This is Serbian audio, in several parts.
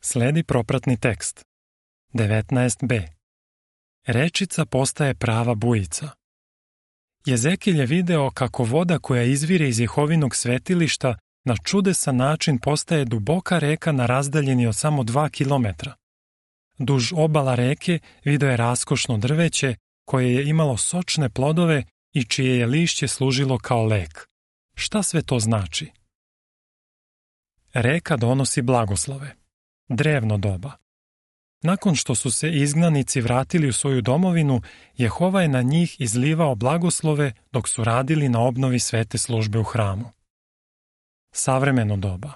Sledi propratni tekst. 19b. Rečica postaje prava bujica. Jezekilj je video kako voda koja izvire iz Jehovinog svetilišta na čudesan način postaje duboka reka na razdaljini od samo 2 kilometra. Duž obala reke video je raskošno drveće koje je imalo sočne plodove i čije je lišće služilo kao lek. Šta sve to znači? Reka donosi blagoslove. Drevno doba. Nakon što su se izgnanici vratili u svoju domovinu, Jehova je na njih izlivao blagoslove dok su radili na obnovi svete službe u hramu. Savremeno doba.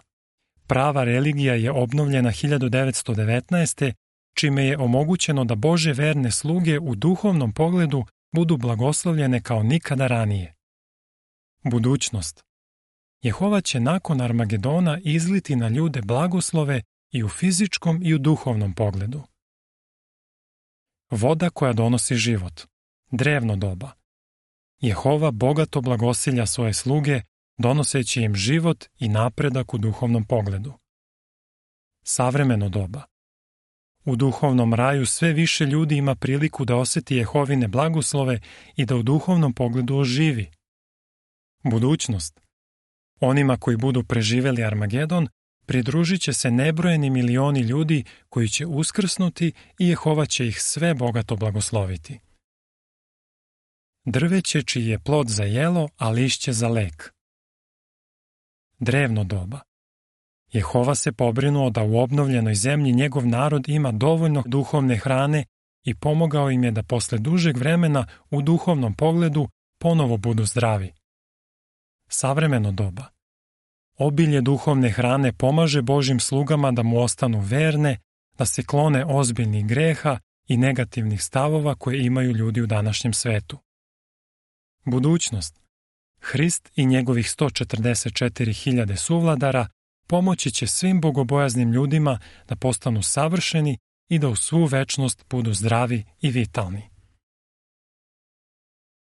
Prava religija je obnovljena 1919. čime je omogućeno da Božje verne sluge u duhovnom pogledu budu blagoslovljene kao nikada ranije. Budućnost. Jehova će nakon Armagedona izliti na ljude blagoslove i u fizičkom i u duhovnom pogledu. Voda koja donosi život. Drevno doba. Jehova bogato blagosilja svoje sluge, donoseći im život i napredak u duhovnom pogledu. Savremeno doba. U duhovnom raju sve više ljudi ima priliku da osjeti Jehovine blagoslove i da u duhovnom pogledu oživi. Budućnost. Onima koji budu preživeli Armagedon, pridružit će se nebrojeni milioni ljudi koji će uskrsnuti i Jehova će ih sve bogato blagosloviti. Drveće čiji je plod za jelo, a lišće za lek. Drevno doba. Jehova se pobrinuo da u obnovljenoj zemlji njegov narod ima dovoljno duhovne hrane i pomogao im je da posle dužeg vremena u duhovnom pogledu ponovo budu zdravi. Savremeno doba. Obilje duhovne hrane pomaže Božjim slugama da mu ostanu verne, da se klone ozbiljnih greha i negativnih stavova koje imaju ljudi u današnjem svetu. Budućnost. Hrist i njegovih 144.000 suvladara pomoći će svim bogobojaznim ljudima da postanu savršeni i da u svu večnost budu zdravi i vitalni.